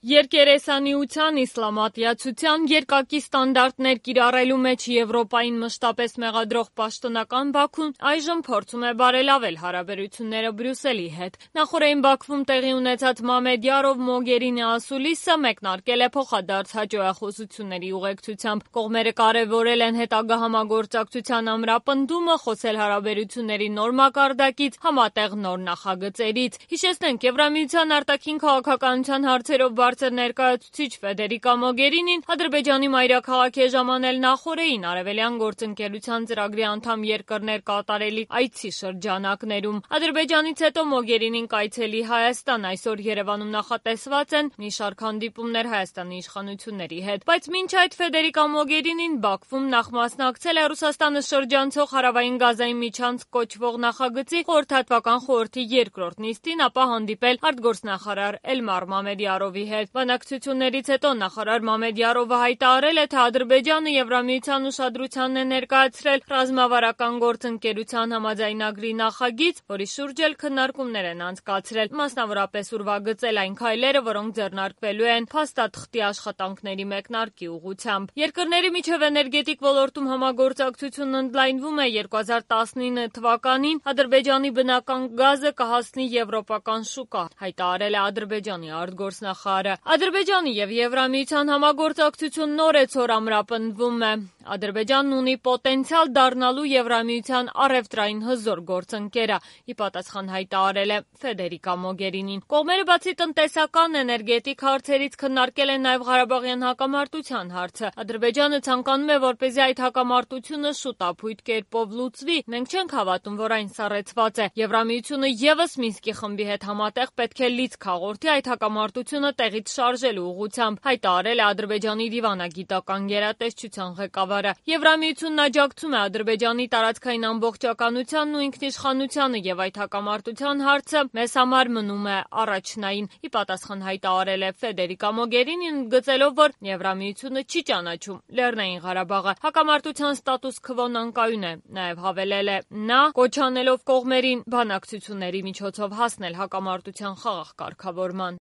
Երկերեսանիության, իսլամատյացության, երկակի ստանդարտներ կիրառելու մեջ Եվրոպային մշտապես մեղադրող պաշտոնական Բաքուն այժմ փորձում է բարելավել հարաբերությունները Բրյուսելի հետ։ Նախօրեին Բաքվում տեղի ունեցած Մամեդ Յարով Մոգերինի ասուլիսը մեկնարկել է փոխադարձ հաջողախոսությունների ուղեկցությամբ։ Կողմերը կարևորել են հետագա համագործակցության ամրապնդումը, խոսել հարաբերությունների նոր մակարդակից, համատեղ նոր նախագծերից։ Հիշեցնենք, Եվրամիության արտաքին քաղաքականության հարցերով բարձր ներկայացուցիչ Ֆեդերիկա Մոգերինին Ադրբեջանի մայրաքաղաք է ժամանել նախօրեին Արևելյան գործընկերության ծրագրի անդամ երկրներ կատարելիք այցի շրջանակներում։ Ադրբեջանից հետո Մոգերինին կայցելի Հայաստան, այսօր Երևանում նախատեսված են մի շարք հանդիպումներ Հայաստանի իշխանությունների հետ։ Բայց մինչ այդ Ֆեդերիկա Մոգերինին Բաքվում նախ մասնակցել է Ռուսաստանը շրջանցող հարավային Գազայի միջանցք կոչվող նախագծի խորհրդատվական խորհրդի երկրորդ նիստին, ապա հանդիպել արտգործնախարար Էլմար Մամեդյարովի հետ։ Բանակցություններից հետո նախարար Մամեդյարովը հայտարարել է, թե Ադրբեջանը Եվրամիության ուշադրությանն է ներկայացրել ռազմավարական գործընկերության համաձայնագրի նախագիծ, որի շուրջ էլ քննարկումներ են անցկացրել, մասնավորապես ուրվագծել այն քայլերը, որոնք ձեռնարկվելու են փաստաթղթի աշխատանքների մեկնարկի ուղղությամբ։ Երկրների միջև էներգետիկ ոլորտում համագործակցությունն ընդլայնվում է 2019 թվականին Ադրբեջանի բնական գազը կհասնի եվրոպական շուկա, հայտարարել է Ադրբեջանի արտգործնախարարը։ Ադրբեջանի եւ Եվրամիության համագործակցություն նորեցօր ամրապնդվում է։ Ադրբեջանն ունի պոտենցիալ դառնալու Եվրամիության առևտրային հզոր գործընկերը, ի պատասխան հայտարարել է Ֆեդերիկա Մոգերինին։ Կողմերը բացի տնտեսական, էներգետիկ հարցերից քննարկել են նաեւ Ղարաբաղյան հակամարտության հարցը։ Ադրբեջանը ցանկանում է, որպեսզի այդ հակամարտությունը շուտապույտ կերպով լուծվի։ Մենք չենք հավատում, որ այն սառեցված է։ Եվրամիությունը եւս Մինսկի խմբի հետ համատեղ պետք է լիցք հաղորդի այդ հակամարտությունը տեղից շարժելու ուղղությամբ, հայտարարել է Ադրբեջանի դիվանագիտական գերատեսչության ղեկավարը։ Եվրամիությունն աջակցում է Ադրբեջանի տարածքային ամբողջականությանն ու ինքնիշխանությանը եւ այդ հակամարտության հարցը մեզ համար մնում է առաջնային, ի պատասխան հայտարարել է Ֆեդերիկա Մոգերինին, ընդգծելով, որ Եվրամիությունը չի ճանաչում Լեռնային Ղարաբաղը։ Հակամարտության ստատուս քվոն անկայուն է, նաեւ հավելել է նա, կոչ անելով կողմերին բանակցությունների միջոցով հասնել հակամարտության խաղաղ կարգավորման։